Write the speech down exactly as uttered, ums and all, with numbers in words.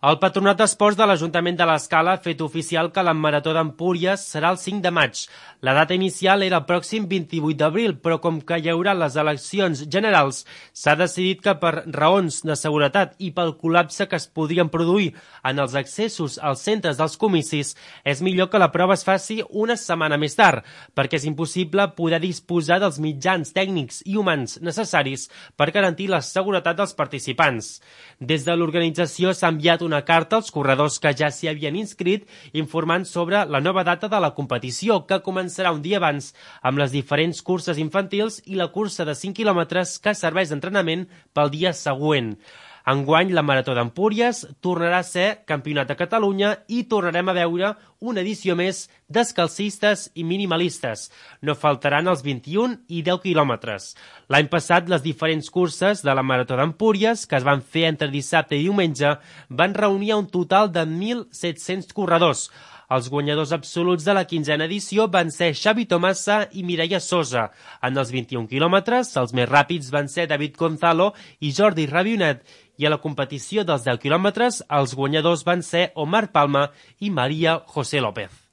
El Patronat d'Esports de l'Ajuntament de l'Escala ha fet oficial que la Marató d'Empúries serà el cinc de maig. La data inicial era el pròxim vint-i-vuit d'abril, però com que hi haurà les eleccions generals, s'ha decidit que per raons de seguretat i pel col·lapse que es podrien produir en els accessos als centres dels comicis, és millor que la prova es faci una setmana més tard, perquè és impossible poder disposar dels mitjans tècnics i humans necessaris per garantir la seguretat dels participants. Des de l'organització s'ha enviat una carta als corredors que ja s'hi havien inscrit informant sobre la nova data de la competició, que començarà un dia abans amb les diferents curses infantils i la cursa de cinc quilòmetres que serveix d'entrenament pel dia següent. Enguany, la Marató d'Empúries tornarà a ser Campionat de Catalunya i tornarem a veure una edició més descalcistes i minimalistes. No faltaran els vint-i-un i deu quilòmetres. L'any passat, les diferents curses de la Marató d'Empúries, que es van fer entre dissabte i diumenge, van reunir un total de mil set-cents corredors. Els guanyadors absoluts de la quinzena edició van ser Xavi Tomasa i Mireia Sosa. En els vint-i-un quilòmetres, els més ràpids van ser David Gonzalo i Jordi Rabionet, i a la competició dels deu quilòmetres els guanyadors van ser Omar Palma i Maria José López.